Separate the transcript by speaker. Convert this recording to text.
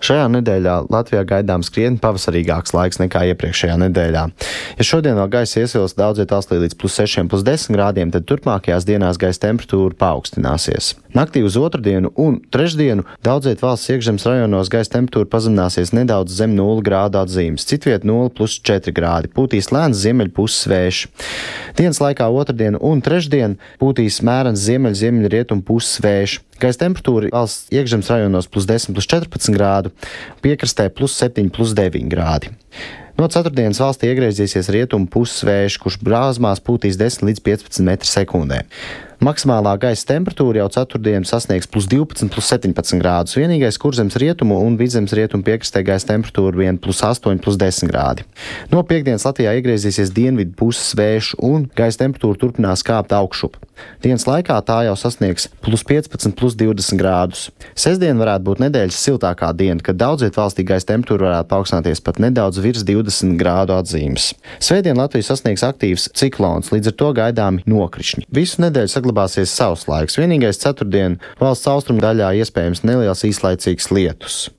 Speaker 1: Šajā nedēļā Latvijā gaidāms krietni pavasarīgāks laiks nekā iepriekšējā nedēļā. Ja šodien vēl gaisa iesils daudz vietās līdz +6, +10 grādiem, tad turpmākajās dienās gaisa temperatūra paaugstināsies. Naktī uz otrdienu un trešdienu daudz viet valsts iekšzemes rajonos gaisa temperatūra pazemināsies nedaudz zem 0 grādu atzīmes, citviet 0+4 grādi, pūtīs lēns ziemeļpuses vējš. Dienas laikā otrdien un trešdien pūtīs mērens ziemeļrietumu puses vējš. Gaisa temperatūra valsts iekšzemes rajonos +10, +14 grādu, piekrastē +7, +9 grādi. No ceturtdienas valstī iegriezīsies rietumu puses vējš, kurš brāzmās pūtīs 10 līdz 15 m/sekundē. Maksimālā gaisa temperatūra jau ceturtdien sasniegs +12, +17 grādus. Vienīgais kurzemes rietumu un vidzemes rietumu piekrastē gaisa temperatūra vien +8, +10 grādi. No piektdienas Latvijā iegriezīsies dienvidu puses vējš un gaisa temperatūra turpinās kāpt augšup. Dienas laikā tā jau sasniegs +15, +20 grādus. Sestdien varētu būt nedēļas siltākā diena, kad daudz viet valstī gaisa temperatūra varētu paaugstināties pat nedaudz virs 20 grādu atzīmes. Svētdien Latviju sasniegs aktīvs ciklons, līdz ar to gaidāmi nokrišņi. Visu nedēļu saglabāsies sauss laiks. Vienīgais ceturtdien valsts austrumu daļā iespējams neliels īslaicīgs lietus.